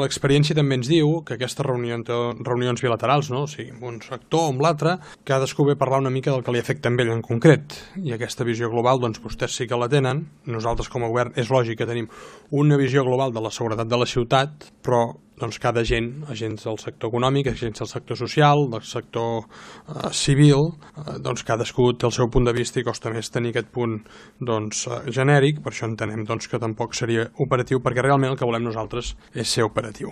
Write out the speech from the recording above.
L'experiència també ens diu que aquestes reunions bilaterals, no? O sigui, amb un sector o amb l'altre, cadascú ve a parlar una mica del que li afecta a ell en concret. I aquesta visió global, doncs vostès sí que la tenen. Nosaltres com a govern és lògic que tenim una visió global de la seguretat de la ciutat, però doncs cada agents del sector econòmic, agents del sector social, del sector civil, doncs cadascú té el seu punt de vista i costa més tenir aquest punt genèric. Per això entenem que tampoc seria operatiu, perquè realment el que volem nosaltres és ser operatiu.